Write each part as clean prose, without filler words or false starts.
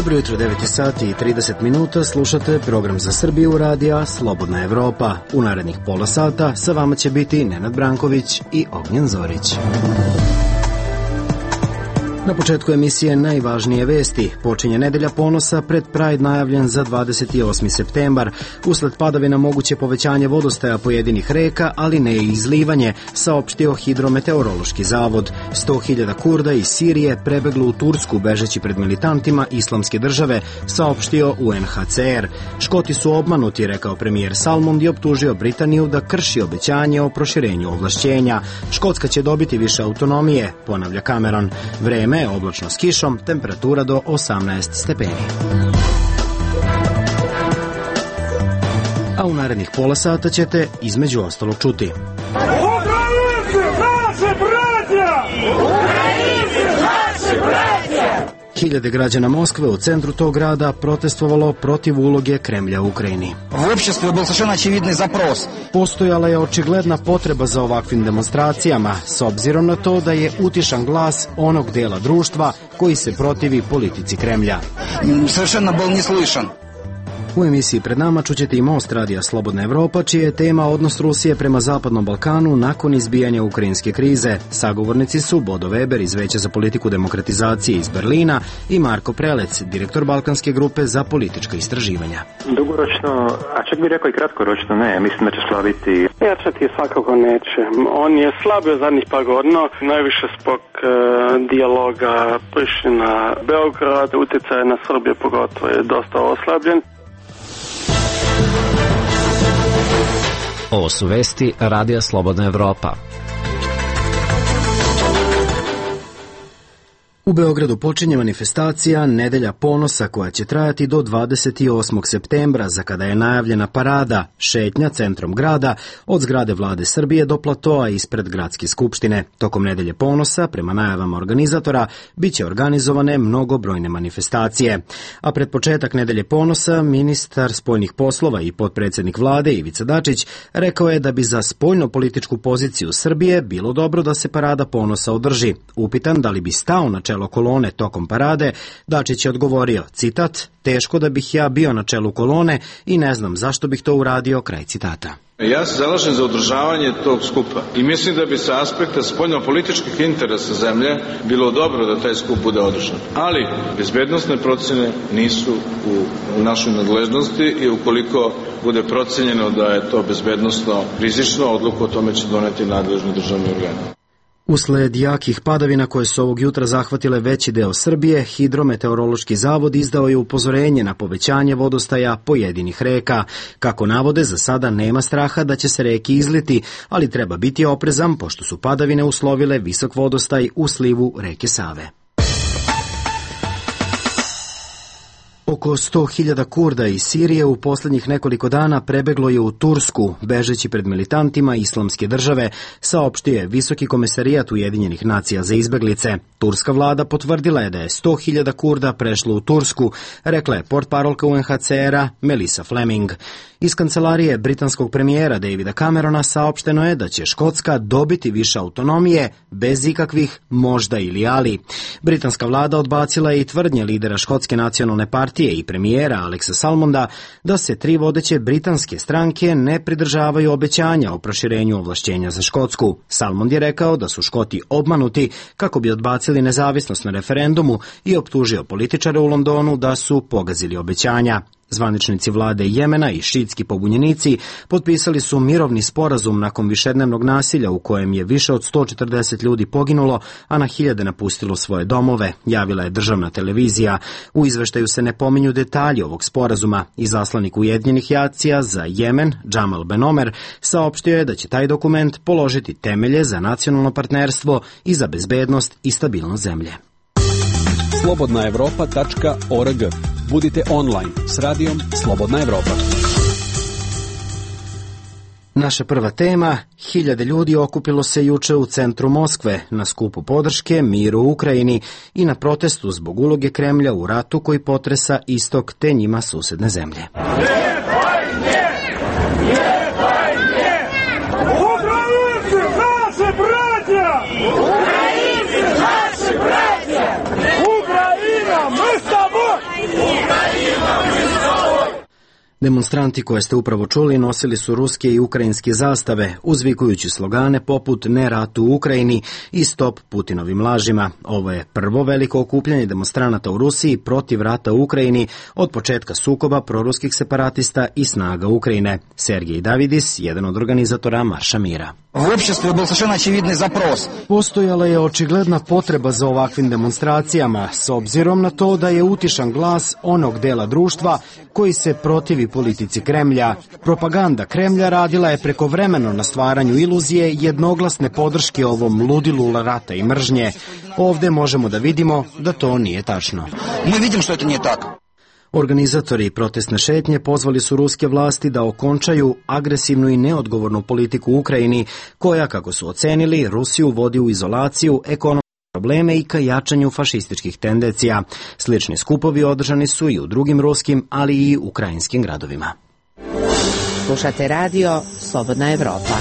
Dobro jutro, 9 sati i 30 minuta, slušate program za Srbiju radija Slobodna Evropa. U narednih pola sata sa vama će biti Nenad Branković i Ognjen Zorić. Na početku emisije najvažnije vesti. Počinje nedelja ponosa pred Pride najavljen za 28. septembar. Usled padavina moguće povećanje vodostaja pojedinih reka, ali ne i izlivanje, saopštio Hidrometeorološki zavod. 100.000 Kurda iz Sirije prebeglo u Tursku bežeći pred militantima Islamske države, saopštio UNHCR. Škoti su obmanuti, rekao premijer Salmond i optužio Britaniju da krši obećanje o proširenju ovlašćenja. Škotska će dobiti više autonomije, ponavlja Cameron. Vreme je oblačno s kišom, temperatura do 18 stepeni. A u narednih pola sata ćete između ostalog čuti. Ukrajinci, naši braća! Ukrajinci, naši braća! Hiljade građana Moskve u centru tog grada protestovalo protiv uloge Kremlja u Ukrajini. U opštestvu bio savršeno očividni zaпрос. Postojala je očigledna potreba za ovakvim demonstracijama, s obzirom na to da je utišan glas onog dela društva koji se protivi politici Kremlja. Savršeno byl neslušan. U emisiji pred nama čućete i Most radija Slobodna Evropa, čija je tema odnos Rusije prema Zapadnom Balkanu nakon izbijanja ukrajinske krize. Sagovornici su Bodo Weber iz Veća za politiku demokratizacije iz Berlina i Marko Prelec, direktor Balkanske grupe za politička istraživanja. Dugoročno, a čak bih rekao i kratkoročno ne, mislim da će slabiti. Jačati svakako neće. On je slabio zadnjih par godina, najviše zbog dijaloga Priština-Beograd, utjecaj na Srbiju pogotovo je dosta oslabljen. Ovo su vesti Radija Slobodna Evropa. U Beogradu počinje manifestacija Nedelja ponosa koja će trajati do 28. septembra, za kada je najavljena parada, šetnja centrom grada od zgrade Vlade Srbije do platoa ispred Gradske skupštine. Tokom Nedelje ponosa, prema najavama organizatora, bit će organizovane mnogobrojne manifestacije. A pred početak Nedelje ponosa, ministar spoljnih poslova i potpredsjednik Vlade Ivica Dačić rekao je da bi za spoljno-političku poziciju Srbije bilo dobro da se parada ponosa održi. Upitan da li bi stao na čelo kolone tokom parade, Dačić je odgovorio, citat, teško da bih ja bio na čelu kolone i ne znam zašto bih to uradio, kraj citata. Ja se zalažem za održavanje tog skupa i mislim da bi sa aspekta spoljno-političkih interesa zemlje bilo dobro da taj skup bude održan. Ali bezbednosne procene nisu u našoj nadležnosti i ukoliko bude procenjeno da je to bezbednosno rizično, odluku o tome će doneti nadležni državni organi. Usled jakih padavina koje su ovog jutra zahvatile veći deo Srbije, Hidrometeorološki zavod izdao je upozorenje na povećanje vodostaja pojedinih reka. Kako navode, za sada nema straha da će se reke izliti, ali treba biti oprezan pošto su padavine uslovile visok vodostaj u slivu reke Save. Oko 100.000 Kurda iz Sirije u posljednjih nekoliko dana prebeglo je u Tursku, bežeći pred militantima Islamske države, saopštio je Visoki komesarijat Ujedinjenih nacija za izbeglice. Turska vlada potvrdila je da je 100.000 Kurda prešlo u Tursku, rekla je portparolka UNHCR-a Melissa Fleming. Iz kancelarije britanskog premijera Davida Camerona saopšteno je da će Škotska dobiti više autonomije bez ikakvih možda ili ali. Britanska vlada odbacila je i tvrdnje lidera Škotske nacionalne partije i premijera Alexa Salmonda da se 3 vodeće britanske stranke ne pridržavaju obećanja o proširenju ovlašćenja za Škotsku. Salmond je rekao da su Škoti obmanuti kako bi odbacili nezavisnost na referendumu i optužio političare u Londonu da su pogazili obećanja. Zvaničnici vlade Jemena i šiitski pobunjenici potpisali su mirovni sporazum nakon višednevnog nasilja u kojem je više od 140 ljudi poginulo, a na hiljade napustilo svoje domove, javila je državna televizija. U izveštaju se ne pominju detalji ovog sporazuma. Izaslanik Ujedinjenih nacija za Jemen, Jamal Ben Omer, saopštio je da će taj dokument položiti temelje za nacionalno partnerstvo i za bezbednost i stabilnost zemlje. slobodnaevropa.org. Budite online s radijom Slobodna Evropa. Naša prva tema, hiljade ljudi okupilo se juče u centru Moskve na skupu podrške miru u Ukrajini i na protestu zbog uloge Kremlja u ratu koji potresa istok te njima susedne zemlje. Demonstranti koje ste upravo čuli nosili su ruske i ukrajinske zastave, uzvikujući slogane poput "Ne ratu u Ukrajini" i "Stop Putinovim lažima". Ovo je prvo veliko okupljanje demonstranata u Rusiji protiv rata u Ukrajini od početka sukoba proruskih separatista i snaga Ukrajine. Sergej Davidis, jedan od organizatora Marša mira. В обществе был совершенно очевидный запрос. Postojala je očigledna potreba za ovakvim demonstracijama, s obzirom na to da je utišan glas onog dela društva koji se protivi politici Kremlja. Propaganda Kremlja radila je prekovremeno na stvaranju iluzije jednoglasne podrške ovom ludilu rata i mržnje. Ovde možemo da vidimo da to nije tačno. Мы видим, что это не так. Organizatori protestne šetnje pozvali su ruske vlasti da okončaju agresivnu i neodgovornu politiku u Ukrajini, koja, kako su ocenili, Rusiju vodi u izolaciju, ekonomske probleme i ka jačanju fašističkih tendencija. Slični skupovi održani su i u drugim ruskim, ali i ukrajinskim gradovima. Slušate radio Slobodna Evropa.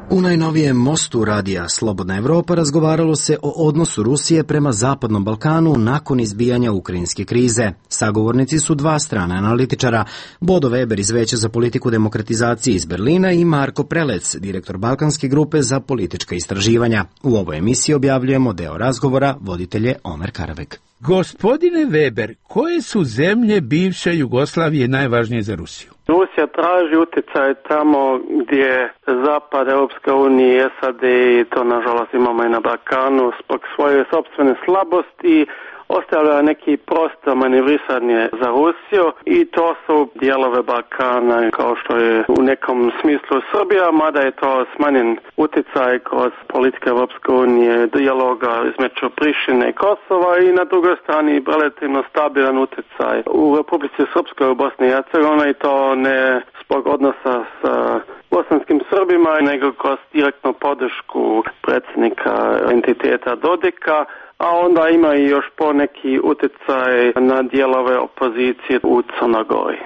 U najnovijem mostu radija Slobodna Evropa razgovaralo se o odnosu Rusije prema Zapadnom Balkanu nakon izbijanja ukrajinske krize. Sagovornici su dva strana analitičara, Bodo Weber iz Veća za politiku demokratizacije iz Berlina i Marko Prelec, direktor Balkanske grupe za politička istraživanja. U ovoj emisiji objavljujemo deo razgovora, voditelj je Omer Karabek. Gospodine Weber, koje su zemlje bivše Jugoslavije najvažnije za Rusiju? Rusija traži utjecaj tamo gdje Zapad, Europska unija, SAD i to nažalost imamo i na Balkanu zbog svoje sopstvene slabosti ostavlja neki prostor manevrisanje za Rusiju i to su dijelove Balkana kao što je u nekom smislu Srbija, mada je to smanjen utjecaj kroz politike Europske unije, dijaloga između Prištine i Kosova i na drugoj strani relativno stabilan utjecaj u Republici Srpskoj u Bosni i Hercegovini i to ne zbog odnosa sa bosanskim Srbima, nego kroz direktnu podršku predsjednika entiteta Dodika, a onda ima i još poneki utjecaj na dijelove opozicije u Crnoj Gori.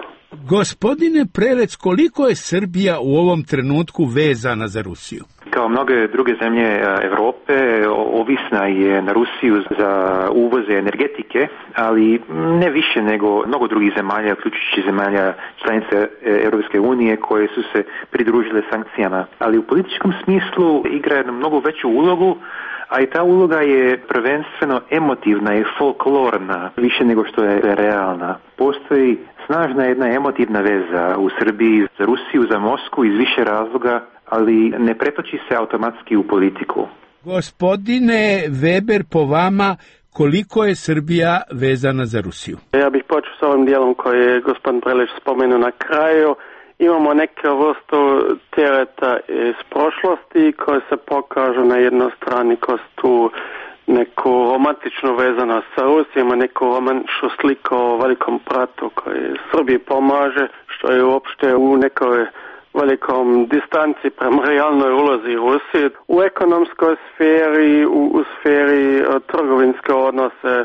Gospodine Prelec, koliko je Srbija u ovom trenutku vezana za Rusiju? Kao mnoge druge zemlje Evrope, ovisna je na Rusiju za uvoze energetike, ali ne više nego mnogo drugih zemalja, uključujući zemalja članice Europske unije koje su se pridružile sankcijama. Ali u političkom smislu igra jednu mnogo veću ulogu, a i ta uloga je prvenstveno emotivna i folklorna, više nego što je realna. Postoji snažna jedna emotivna veza u Srbiji za Rusiju, za Moskvu iz više razloga, ali ne pretoči se automatski u politiku. Gospodine Weber, po vama, koliko je Srbija vezana za Rusiju? Ja bih počeo s ovim dijelom koji je gospodin Prelić spomenuo na kraju. Imamo neke vrstu tereta iz prošlosti koje se pokažu na jednoj strani kroz tu neku romantičnu vezanost sa Rusijom, neku romantičnu sliku o velikom bratu koji Srbiji pomaže, što je uopšte u nekoj velikom distanci prema realnoj ulozi Rusije. U ekonomskoj sferi, u sferi trgovinske odnose,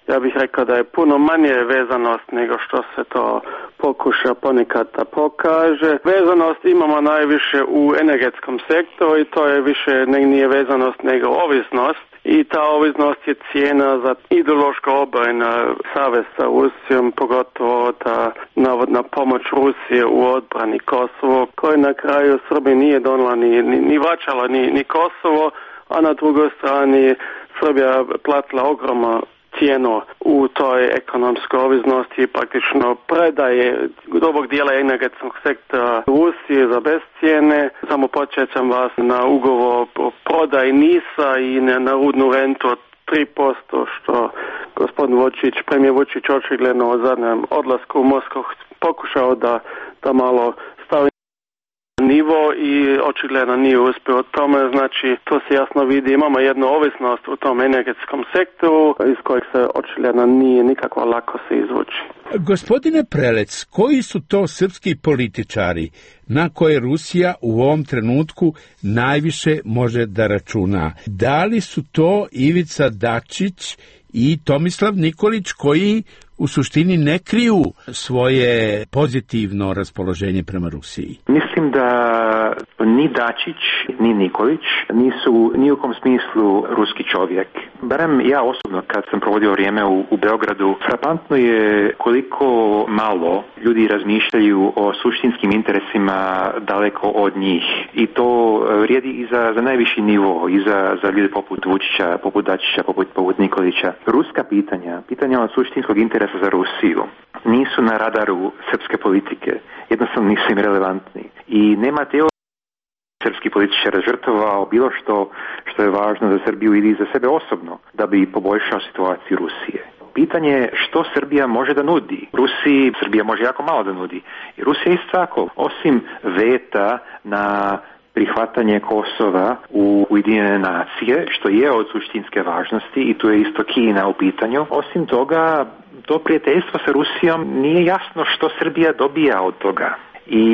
ja bih rekao da je puno manje vezanost nego što se to pokuša ponekad da pokaže. Vezanost imamo najviše u energetskom sektoru i to je više nije vezanost nego ovisnost. I ta ovisnost je cijena za ideološko obrana savez sa Rusijom, pogotovo ta navodna pomoć Rusije u odbrani Kosovo, koje na kraju Srbiji nije donala ni vraćala ni Kosovo, a na drugoj strani Srbija platila ogromno cijenu u toj ekonomskoj ovisnosti, praktično predaje dobrog dijela energetskog sektora Rusije za bez cijene. Samo podsjećam vas na ugovor o prodaji NIS-a i na rudnu rentu od 3%, što gospodin Vučić, premijer Vučić očigledno u zadnjem odlasku u Moskvu pokušao da malo stavi nivo i očigledno nije uspio u tome, znači to se jasno vidi, imamo jednu ovisnost u tom energetskom sektoru iz kojeg se očigledno nije nikako lako se izvući. Gospodine Prelec, koji su to srpski političari na koje Rusija u ovom trenutku najviše može da računa? Da li su to Ivica Dačić i Tomislav Nikolić koji u suštini ne kriju svoje pozitivno raspoloženje prema Rusiji? Mislim da ni Dačić, ni Nikolić nisu ni u kom smislu ruski čovjek. Barem ja osobno kad sam provodio vrijeme u Beogradu, frapantno je koliko malo ljudi razmišljaju o suštinskim interesima daleko od njih. I to vrijedi i za najviši nivo, i za ljude poput Vučića, poput Dačića, poput Nikolića. Ruska pitanja od suštinskog interesa za Rusiju nisu na radaru srpske politike. Jednostavno nisu im relevantni. I nema teorije srpski političar žrtvovao bilo što je važno za Srbiju ili za sebe osobno da bi poboljšao situaciju Rusije. Pitanje je što Srbija može da nudi. Rusiji Srbija može jako malo da nudi. I Rusija isto tako, osim veta na prihvatanje Kosova u Ujedinjene nacije, što je od suštinske važnosti i tu je isto Kina u pitanju. Osim toga, to prijateljstvo sa Rusijom nije jasno što Srbija dobija od toga. I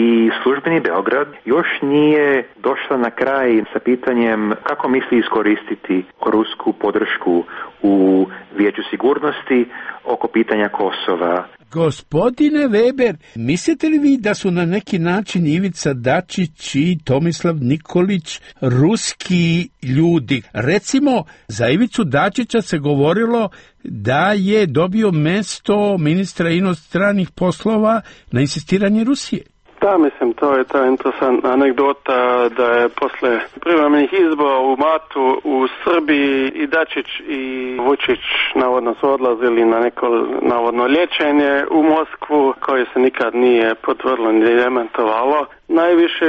službeni Beograd još nije došla na kraj sa pitanjem kako misli iskoristiti rusku podršku u Vijeću sigurnosti oko pitanja Kosova. Gospodine Weber, mislite li vi da su na neki način Ivica Dačić i Tomislav Nikolić ruski ljudi? Recimo, za Ivicu Dačića se govorilo da je dobio mesto ministra inostranih poslova na insistiranje Rusije. Da, mislim, to je ta interesantna anegdota da je posle privremenih izbora u martu u Srbiji i Dačić i Vučić navodno su odlazili na neko navodno liječenje u Moskvu koje se nikad nije potvrdilo ni demantovalo. Najviše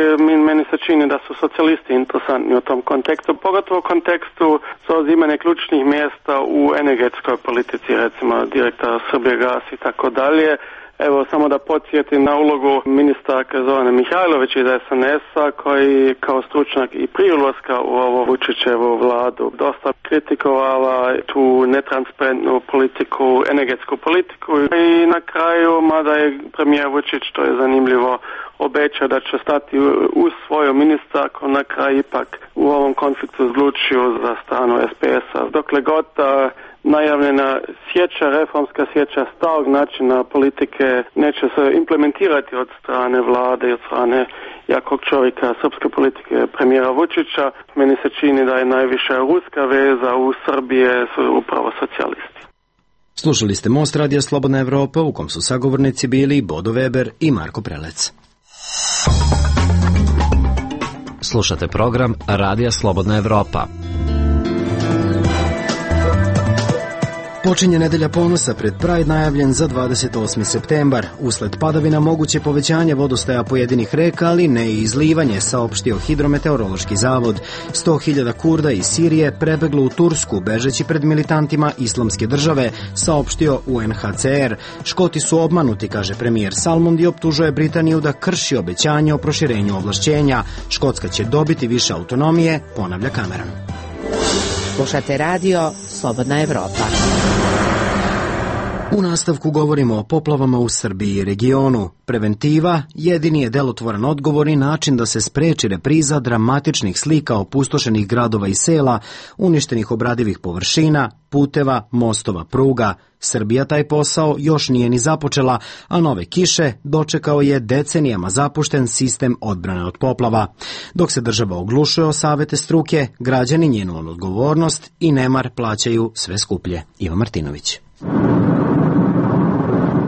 meni se čini da su socijalisti interesantni u tom kontekstu, pogotovo u kontekstu zauzimanja ključnih mjesta u energetskoj politici, recimo direktora Srbijagas i tako dalje. Evo, samo da podsjetim na ulogu ministarke Zorane Mihajlović iz SNS-a koji kao stručnjak i prije ulaska u ovo Vučićevu vladu dosta kritikovala tu netransparentnu politiku, energetsku politiku i na kraju, mada je premijer Vučić, to je zanimljivo, obećao da će stati uz svoju ministarku, na kraju ipak u ovom konfliktu odlučio za stranu SPS-a. Dokle god najavljena sječa, reformska sječa starog načina politike neće se implementirati od strane vlade i od strane jakog čovjeka srpske politike premijera Vučića. Meni se čini da je najviša ruska veza u Srbije su upravo socijalisti. Slušali ste Most Radija Slobodna Evropa, u kom su sagovornici bili Bodo Weber i Marko Prelec. Slušate program Radija Slobodna Evropa. Počinje nedelja ponosa pred Pride najavljen za 28. septembar. Usled padavina moguće povećanje vodostaja pojedinih reka, ali ne i izlivanje, saopštio Hidrometeorološki zavod. 100.000 Kurda iz Sirije prebeglo u Tursku, bežeći pred militantima Islamske države, saopštio UNHCR. Škoti su obmanuti, kaže premijer Salmond i optužuje Britaniju da krši obećanje o proširenju ovlašćenja. Škotska će dobiti više autonomije, ponavlja Cameron. Slušate radio Slobodna Evropa. U nastavku govorimo o poplavama u Srbiji i regionu. Preventiva jedini je delotvoran odgovor i način da se spreči repriza dramatičnih slika opustošenih gradova i sela, uništenih obradivih površina, puteva, mostova, pruga. Srbija taj posao još nije ni započela, a nove kiše dočekao je decenijama zapušten sistem odbrane od poplava. Dok se država oglušuje o savete struke, građani njenu odgovornost i nemar plaćaju sve skuplje. Iva Martinović.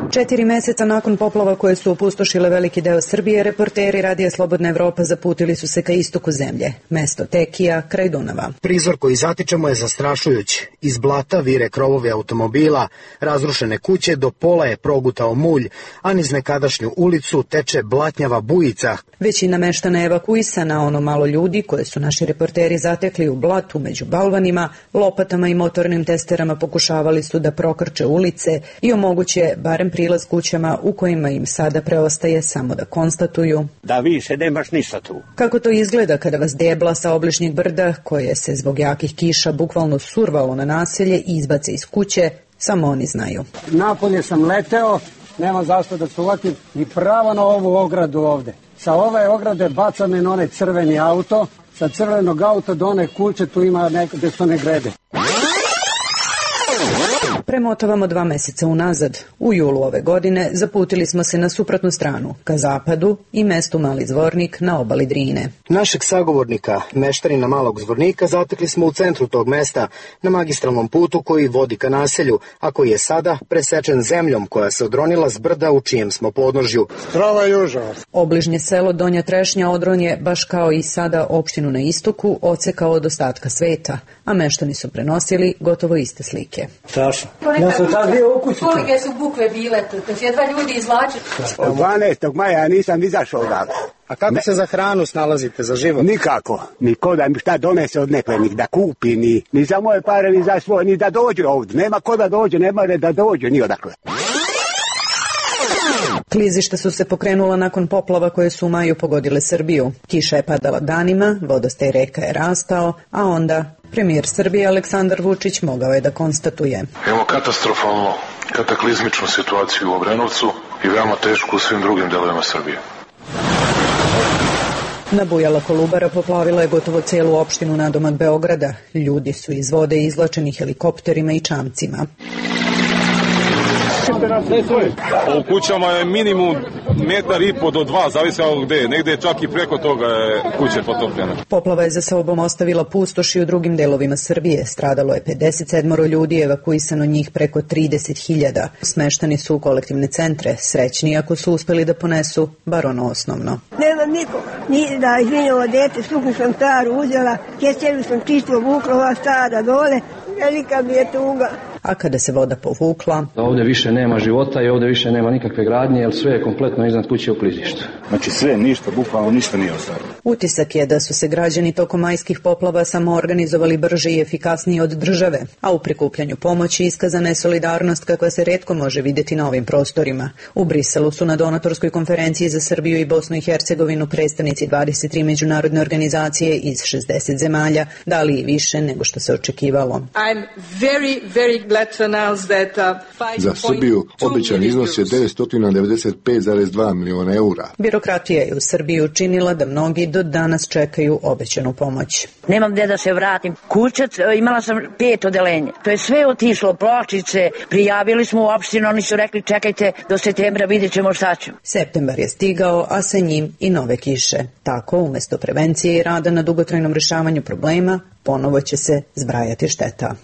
4 meseca nakon poplava koje su opustošile veliki deo Srbije, reporteri Radija Slobodna Evropa zaputili su se ka istoku zemlje, mesto Tekija, kraj Dunava. Prizor koji zatičemo je zastrašujuć. Iz blata vire krovovi automobila, razrušene kuće, do pola je progutao mulj, a niz nekadašnju ulicu teče blatnjava bujica. Većina meštana je evakuisana, ono malo ljudi koje su naši reporteri zatekli u blatu među balvanima, lopatama i motornim testerama pokušavali su da prokrče ulice i omoguće barem prilaz kućama u kojima im sada preostaje samo da konstatuju da više nemaš ništa tu. Kako to izgleda kada vas debla sa obližnjeg brda, koje se zbog jakih kiša bukvalno survalo na naselje i izbace iz kuće, samo oni znaju. Napolje sam leteo, nema zašto da se uvatim, i pravo na ovu ogradu ovde. Sa ove ograde baca me na onaj crveni auto, sa crvenog auta do one kuće tu ima gde su one grede. Premotavamo 2 meseca unazad. U julu ove godine zaputili smo se na suprotnu stranu, ka zapadu i mestu Mali Zvornik na obali Drine. Našeg sagovornika, meštanina Malog Zvornika, zatekli smo u centru tog mesta, na magistralnom putu koji vodi ka naselju, a koji je sada presečen zemljom koja se odronila s brda u čijem smo podnožju. Strava i užas. Obližnje selo Donja Trešnja Odron je, baš kao i sada opštinu na istoku, odsekao od ostatka sveta, a meštani su prenosili gotovo iste slike. Strašno. Ja sam tad bio u kući. Kolike su bukve bile tu, to jedva ljudi izvlačili. 12. maja ja nisam izašao odavde. A kako se za hranu snalazite, za život? Nikako. Niko da mi šta donese od nekvenih, da kupi, ni za moje pare, ni za svoje, ni da dođe ovdje. Nema ko da dođe, nema da dođe, ni odakle. Klizišta su se pokrenula nakon poplava koje su u maju pogodile Srbiju. Kiša je padala danima, vodostaj reka je rastao, a onda premijer Srbije Aleksandar Vučić mogao je da konstatuje. Imamo katastrofalno, kataklizmičnu situaciju u Obrenovcu i veoma tešku u svim drugim delovima Srbije. Nabujala Kolubara poplavila je gotovo celu opštinu nadomak Beograda. Ljudi su iz vode izvlačeni helikopterima i čamcima. U kućama je minimum 1,5 do 2, zavisi od gde je. Negde je čak i preko toga je kuće potopljena. Poplava je za sobom ostavila pustoš i u drugim delovima Srbije. Stradalo je 57 ljudi, evakuisano njih preko 30.000. Smeštani su u kolektivne centre, srećni ako su uspeli da ponesu bar ono osnovno. Nemam nikoga, ni da izvinjava dete, suknu sam staru uzela, keceru sam čisto vukla, ova stara dole, velika mi je tuga. A kada se voda povukla... Ovdje više nema života i ovdje više nema nikakve gradnje, jer sve je kompletno iznad kuće u klizištu. Znači sve, ništa, bukvalno ništa nije ostalo. Utisak je da su se građani tokom majskih poplava samo organizovali brže i efikasnije od države, a u prikupljanju pomoći iskazana je solidarnost kakva se retko može vidjeti na ovim prostorima. U Briselu su na donatorskoj konferenciji za Srbiju i Bosnu i Hercegovinu predstavnici 23 međunarodne organizacije iz 60 zemalja dali i više nego što se očekivalo. Za Srbiju obećan iznos je 995,2 miliona eura. Birokratija je u Srbiji učinila da mnogi do danas čekaju obećanu pomoć. Nemam gde da se vratim. Kućac, imala sam 5 odeljenja. To je sve otišlo, pločice, prijavili smo u opštinu, oni su rekli čekajte do septembra, vidjet ćemo šta ćemo. Septembar je stigao, a sa njim i nove kiše. Tako, umjesto prevencije i rada na dugotrajnom rješavanju problema, ponovo će se zbrajati šteta.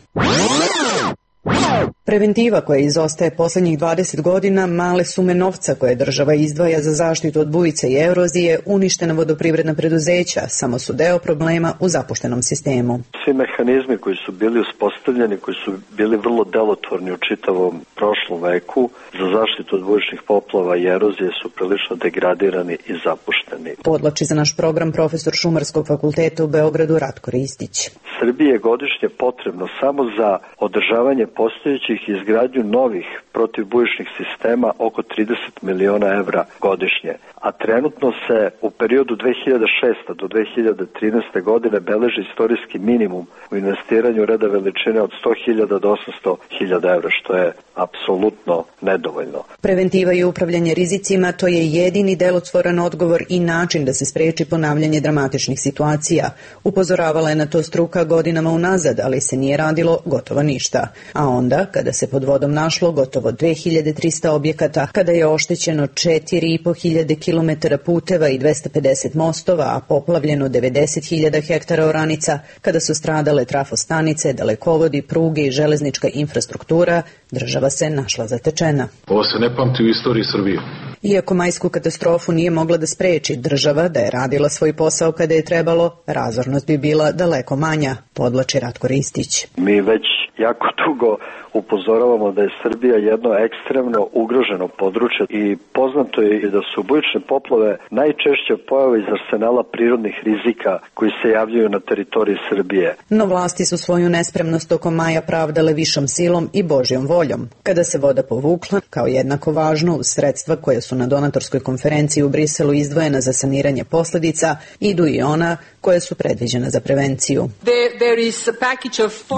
Preventiva koja izostaje posljednjih 20 godina, male sume novca koje država izdvaja za zaštitu od bujice i erozije, uništena vodoprivredna preduzeća, samo su deo problema u zapuštenom sistemu. Svi mehanizmi koji su bili uspostavljeni, koji su bili vrlo delotvorni u čitavom prošlom veku, za zaštitu od bujičnih poplava i erozije su prilično degradirani i zapušteni. Podlači za naš program profesor Šumarskog fakulteta u Beogradu Ratko Ristić. Srbiji je godišnje potrebno samo za održavanje postojećih i izgradnju novih protivbujičnih sistema oko 30 miliona evra godišnje, a trenutno se u periodu 2006. do 2013. godine beleži istorijski minimum u investiranju reda veličine od 100.000 do 800.000 evra, što je apsolutno nedovoljno. Preventiva i upravljanje rizicima, to je jedini delotvoran odgovor i način da se spreči ponavljanje dramatičnih situacija. Upozoravala je na to struka godinama unazad, ali se nije radilo gotovo ništa. A onda, kada se pod vodom našlo gotovo 2300 objekata, kada je oštećeno 4.500 kilometara puteva i 250 mostova, a poplavljeno 90.000 hektara oranica, kada su stradale trafostanice, dalekovodi, pruge i železnička infrastruktura, država se našla zatečena. Ovo se ne pamti u istoriji Srbije. Iako majsku katastrofu nije mogla da spreči država, da je radila svoj posao kada je trebalo, razornost bi bila daleko manja, podlači Ratko Ristić. Mi već jako dugo upozoravamo da je Srbija jedno ekstremno ugroženo područje i poznato je i da su bujične poplave najčešće pojave iz arsenala prirodnih rizika koji se javljaju na teritoriji Srbije. No vlasti su svoju nespremnost tokom maja pravdale višom silom i Božjom voljom. Kada se voda povukla, kao jednako važno uz sredstva koje su na donatorskoj konferenciji u Briselu izdvojena za saniranje posljedica, idu i ona koje su predviđena za prevenciju.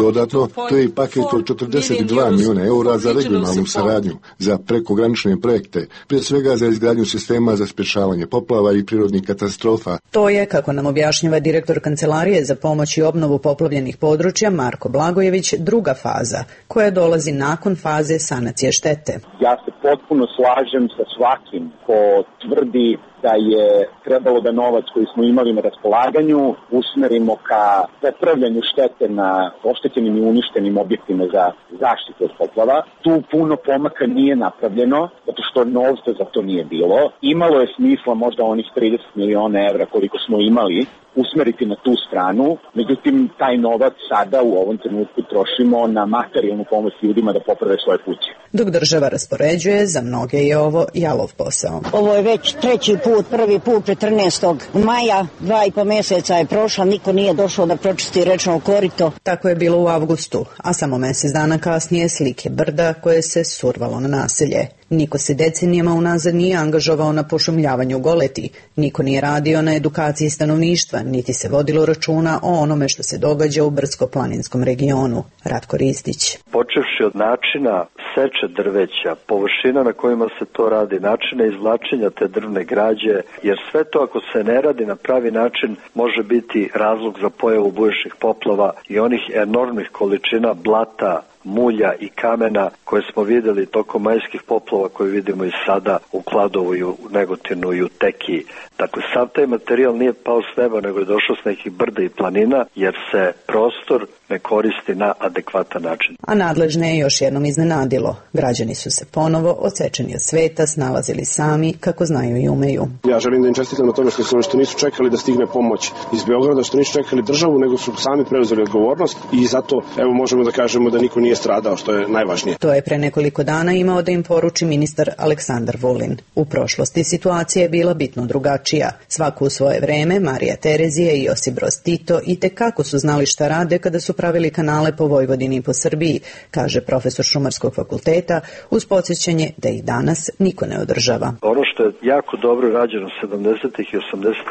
Dodatno, to je i paket od 40 2 milijuna eura za regionalnu saradnju, za prekogranične projekte, prije svega za izgradnju sistema za sprječavanje poplava i prirodnih katastrofa. To je, kako nam objašnjava direktor Kancelarije za pomoć i obnovu poplavljenih područja Marko Blagojević, druga faza, koja dolazi nakon faze sanacije štete. Ja se potpuno slažem sa svakim ko tvrdi da je trebalo da novac koji smo imali na raspolaganju usmerimo ka popravljanju štete na oštećenim i uništenim objektima za zaštitu od poplava. Tu puno pomaka nije napravljeno, zato što novca za to nije bilo. Imalo je smisla možda onih 30 miliona evra koliko smo imali usmeriti na tu stranu, međutim taj novac sada u ovom trenutku trošimo na materijalnu pomoć ljudima da poprave svoje kuće. Dok država raspoređuje, za mnoge je ovo jalov posao. Ovo je već treći put, prvi put 14. maja, 2,5 mjeseca je prošla, niko nije došao da pročisti rečno korito. Tako je bilo u avgustu, a samo mjesec dana kasnije slike brda koje se survalo na naselje. Niko se decenijama unazad nije angažovao na pošumljavanju goleti, niko nije radio na edukaciji stanovništva, niti se vodilo računa o onome što se događa u brdsko-planinskom regionu. Ratko Ristić. Počevši od načina seče drveća, površina na kojima se to radi, načina izvlačenja te drvne građe, jer sve to ako se ne radi na pravi način može biti razlog za pojavu bujičnih poplava i onih enormnih količina blata, mulja i kamena koje smo vidjeli tokom majskih poplava koje vidimo i sada u Kladovu i u Negotinu i u Tekiji. Dakle, sav taj materijal nije pao s neba, nego je došao s nekih brda i planina, jer se prostor ne koristi na adekvatan način. A nadležne je još jednom iznenadilo. Građani su se ponovo, odsečeni od sveta, snalazili sami kako znaju i umeju. Ja želim da im čestitam na tome što nisu čekali da stigne pomoć iz Beograda, što nisu čekali državu, nego su sami preuzeli odgovornost i zato evo možemo da kažemo da niko nije stradao, što je najvažnije. To je pre nekoliko dana imao da im poruči ministar Aleksandar Vulin. U prošlosti situacija je bila bitno drugačija. Svaku u svoje vreme Marija Terezija i Josip Broz Tito itekako su znali šta rade kada su pravili kanale po Vojvodini i po Srbiji, kaže profesor Šumarskog fakulteta, uz podsjećanje da ih danas niko ne održava. Ono što je jako dobro rađeno 70. i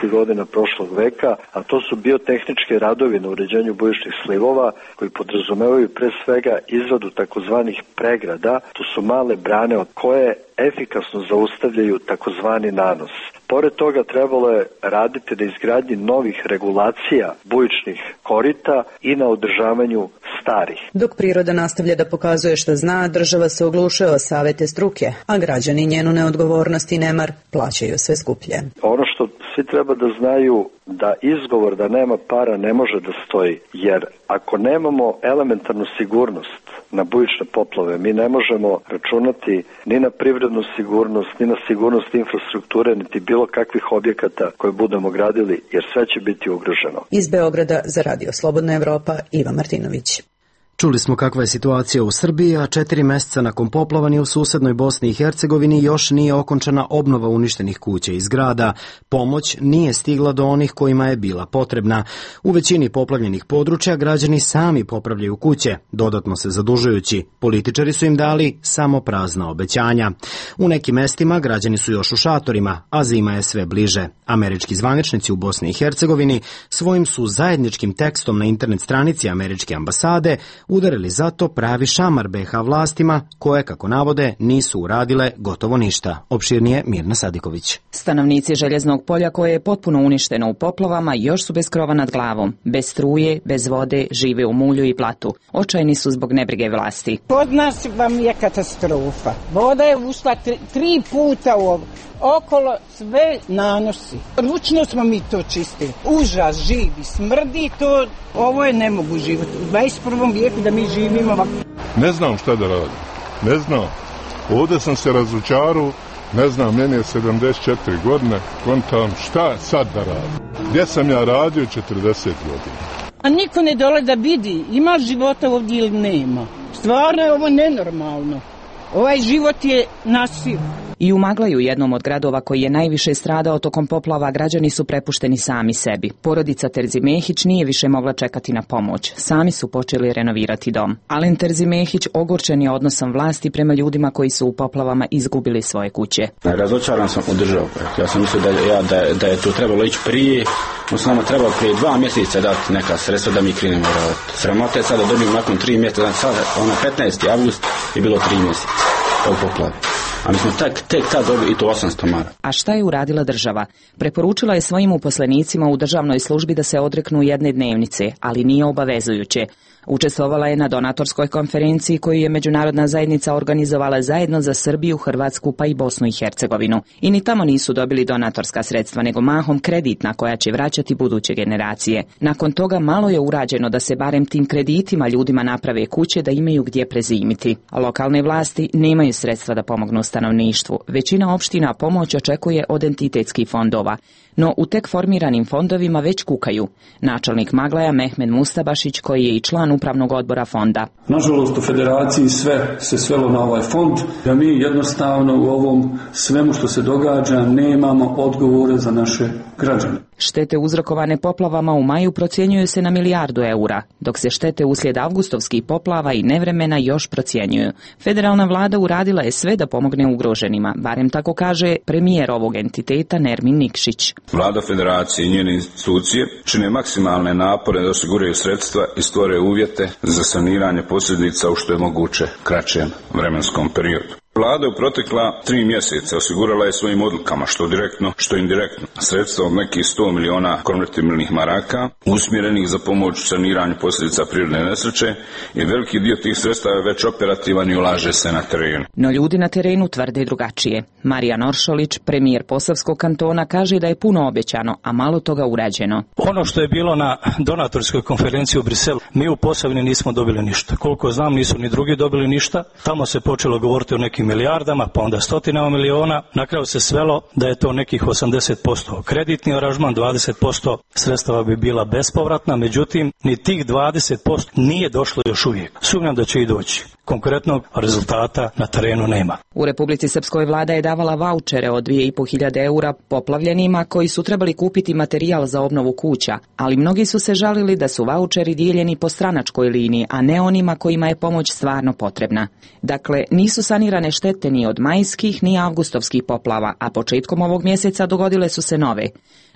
80. godina prošlog veka, a to su biotehničke radovi na uređenju bujičnih slivova koji podrazumevaju pre svega izradu takozvanih pregrada. To su male brane od koje efikasno zaustavljaju takozvani nanos. Pored toga trebalo je raditi na izgradnji novih regulacija bujičnih korita i na održavanju starih. Dok priroda nastavlja da pokazuje što zna, država se oglušuje o savete struke, a građani njenu neodgovornost i nemar plaćaju sve skuplje. Ono što svi treba da znaju da izgovor da nema para ne može da stoji, jer ako nemamo elementarnu sigurnost na bujične poplave, mi ne možemo računati ni na privrednu sigurnost, ni na sigurnost infrastrukture, niti bilo kakvih objekata koje budemo gradili, jer sve će biti ugroženo. Iz Beograda za Radio Slobodna Evropa, Iva Martinović. Čuli smo kakva je situacija u Srbiji, a 4 mjeseca nakon poplavanja u susednoj Bosni i Hercegovini još nije okončana obnova uništenih kuća i zgrada. Pomoć nije stigla do onih kojima je bila potrebna. U većini poplavljenih područja građani sami popravljaju kuće, dodatno se zadužujući. Političari su im dali samo prazna obećanja. U nekim mestima građani su još u šatorima, a zima je sve bliže. Američki zvaničnici u Bosni i Hercegovini svojim su zajedničkim tekstom na internet stranici američke ambasade udarili zato pravi šamar BiH vlastima koje, kako navode, nisu uradile gotovo ništa. Opširnije Mirna Sadiković. Stanovnici Željeznog polja, koje je potpuno uništeno u poplavama, još su bez krova nad glavom, bez struje, bez vode, žive u mulju i platu. Očajni su zbog nebrige vlasti. Kod nas vam je katastrofa. Voda je ušla 3 puta u ovo. Okolo sve nanosi. Ručno smo mi to čistili. Užas, živi, smrdi to. Ovo je nemogu život. U 21. vijeku da mi živimo ovako. Ne znam šta da radim. Ne znam. Ovdje sam se razočarao. Ne znam, meni je 74 godine. Kontam šta sad da radim. Gdje sam ja radio 40 godina. A niko ne dole da vidi. Ima života ovdje ili nema. Stvarno je ovo nenormalno. Ovaj život je nasilno. I u Maglaju, jednom od gradova koji je najviše stradao tokom poplava, građani su prepušteni sami sebi. Porodica Terzimehić nije više mogla čekati na pomoć. Sami su počeli renovirati dom. Alen Terzimehić ogorčen je odnosom vlasti prema ljudima koji su u poplavama izgubili svoje kuće. Razočaran sam od državu. Ja sam mislio da je to trebalo ići prije. On se nama trebalo prije 2 mjeseca dati neka sredstva da mi krenemo raditi. Sramota je sada da dobijemo nakon 3 mjeseca. Sada, 15. avgust je bilo 3 mjeseca u poplavi. A mi smo tek tad dobili i to 800 maraka. A šta je uradila država? Preporučila je svojim uposlenicima u državnoj službi da se odreknu jedne dnevnice, ali nije obavezujuće. Učestvovala je na donatorskoj konferenciji koju je međunarodna zajednica organizovala zajedno za Srbiju, Hrvatsku pa i Bosnu i Hercegovinu. I ni tamo nisu dobili donatorska sredstva, nego mahom kreditna koja će vraćati buduće generacije. Nakon toga malo je urađeno da se barem tim kreditima ljudima naprave kuće da imaju gdje prezimiti. A lokalne vlasti nemaju sredstva da pomognu stanovništvu. Većina opština pomoć očekuje od entitetskih fondova. No u tek formiranim fondovima već kukaju. Načelnik Maglaja Mehmed Mustabašić, koji je i član upravnog odbora fonda. Nažalost, u federaciji sve se svelo na ovaj fond, da mi jednostavno u ovom svemu što se događa nemamo odgovore za naše građane. Štete uzrokovane poplavama u maju procjenjuju se na milijardu eura, dok se štete uslijed avgustovskih poplava i nevremena još procjenjuju. Federalna vlada uradila je sve da pomogne ugroženima, barem tako kaže premijer ovog entiteta Nermin Nikšić. Vlada federacije i njene institucije čine maksimalne napore da osiguraju sredstva i stvore uvjete za saniranje posljedica u što je moguće kraćem vremenskom periodu. Vlada u protekla 3 mjeseca osigurala je svojim odlukama, što direktno, što indirektno, sredstva od nekih 100 miliona konvertibilnih maraka, usmjerenih za pomoć u saniranju posljedica prirodne nesreće, i veliki dio tih sredstava je već operativan i ulaže se na terenu. No ljudi na terenu tvrde drugačije. Marijan Oršolić, premijer Posavskog kantona, kaže da je puno obećano, a malo toga urađeno. Ono što je bilo na donatorskoj konferenciji u Briselu, mi u Posavini nismo dobili ništa. Koliko znam, nisu ni drugi dobili ništa. Tamo se počelo govoriti o nekim milijardama, pa onda stotinama miliona. Na kraju se svelo da je to nekih 80% kreditni aranžman, 20% sredstava bi bila bespovratna, međutim ni tih 20% nije došlo još uvijek. Sumnjam da će i doći. Konkretnog rezultata na terenu nema. U Republici Srpskoj vlada je davala vaučere od 2.500 eura poplavljenima koji su trebali kupiti materijal za obnovu kuća, ali mnogi su se žalili da su vaučeri dijeljeni po stranačkoj liniji, a ne onima kojima je pomoć stvarno potrebna. Dakle, nisu sanirane štete ni od majskih ni avgustovskih poplava, a početkom ovog mjeseca dogodile su se nove.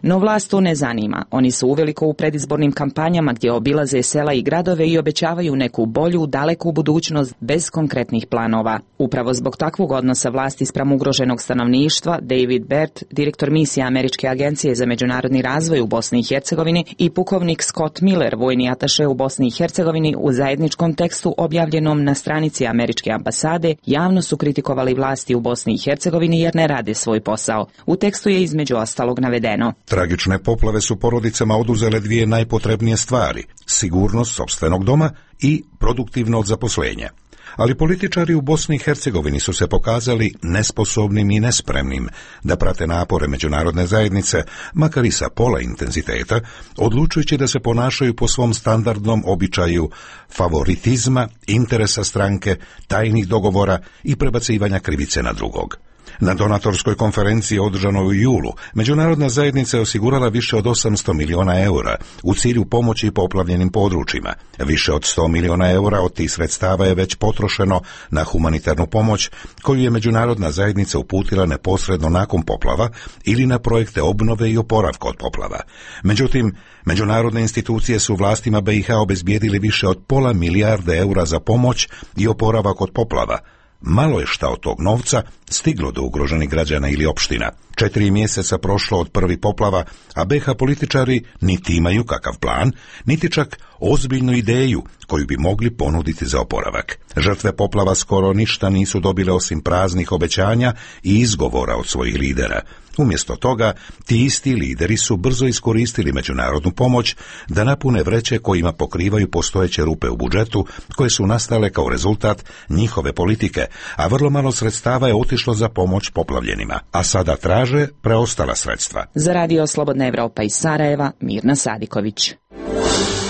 No vlast to ne zanima. Oni su uveliko u predizbornim kampanjama gdje obilaze sela i gradove i obećavaju neku bolju, daleku budućnost bez konkretnih planova. Upravo zbog takvog odnosa vlasti spram ugroženog stanovništva, David Bert, direktor misije Američke agencije za međunarodni razvoj u Bosni i Hercegovini, i pukovnik Scott Miller, vojni ataše u Bosni i Hercegovini, u zajedničkom tekstu objavljenom na stranici Američke ambasade, javno su kritikovali vlasti u Bosni i Hercegovini jer ne rade svoj posao. U tekstu je između ostalog navedeno: tragične poplave su porodicama oduzele 2 najpotrebnije stvari: sigurnost sopstvenog doma i produktivno zaposlenje. Ali političari u Bosni i Hercegovini su se pokazali nesposobnim i nespremnim da prate napore međunarodne zajednice, makar i sa pola intenziteta, odlučujući da se ponašaju po svom standardnom običaju favoritizma, interesa stranke, tajnih dogovora i prebacivanja krivice na drugog. Na donatorskoj konferenciji održanoj u julu, međunarodna zajednica je osigurala više od 800 miliona eura u cilju pomoći poplavljenim područjima. Više od 100 miliona eura od tih sredstava je već potrošeno na humanitarnu pomoć koju je međunarodna zajednica uputila neposredno nakon poplava ili na projekte obnove i oporavka od poplava. Međutim, međunarodne institucije su vlastima BiH obezbijedili više od pola milijarde eura za pomoć i oporavak od poplava. Malo je šta od tog novca stiglo do ugroženih građana ili opština. 4 mjeseca prošlo od prvih poplava, a BiH političari niti imaju kakav plan, niti čak ozbiljnu ideju koju bi mogli ponuditi za oporavak. Žrtve poplava skoro ništa nisu dobile osim praznih obećanja i izgovora od svojih lidera. Umjesto toga, ti isti lideri su brzo iskoristili međunarodnu pomoć da napune vreće kojima pokrivaju postojeće rupe u budžetu koje su nastale kao rezultat njihove politike, a vrlo malo sredstava je otišlo za pomoć poplavljenima, a sada traže preostala sredstva. Za Radio Slobodna Evropa iz Sarajeva, Mirna Sadiković.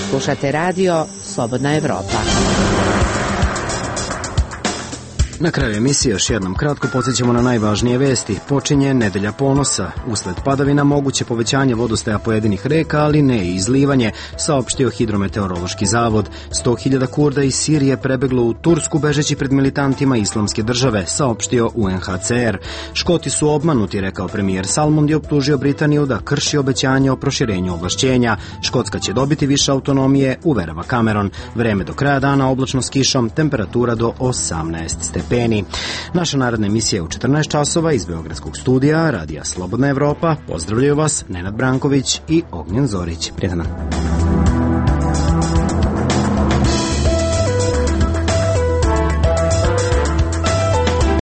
Slušate Radio Slobodna Evropa. Na kraju emisije još jednom kratko podsjećamo na najvažnije vesti. Počinje nedelja ponosa. Usled padavina moguće povećanje vodostaja pojedinih reka, ali ne i izlivanje, saopštio Hidrometeorološki zavod. 100.000 Kurda iz Sirije prebeglo u Tursku bežeći pred militantima Islamske države, saopštio UNHCR. Škoti su obmanuti, rekao premijer Salmond i optužio Britaniju da krši obećanje o proširenju ovlašćenja. Škotska će dobiti više autonomije, uverava Cameron. Vreme do kraja dana oblačno s kišom, temperatura do 18 stepeni. Naša naredna emisija je u 14 časova iz Beogradskog studija Radija Slobodna Evropa. Pozdravljaju vas Nenad Branković i Ognjen Zorić. Prijetan dan.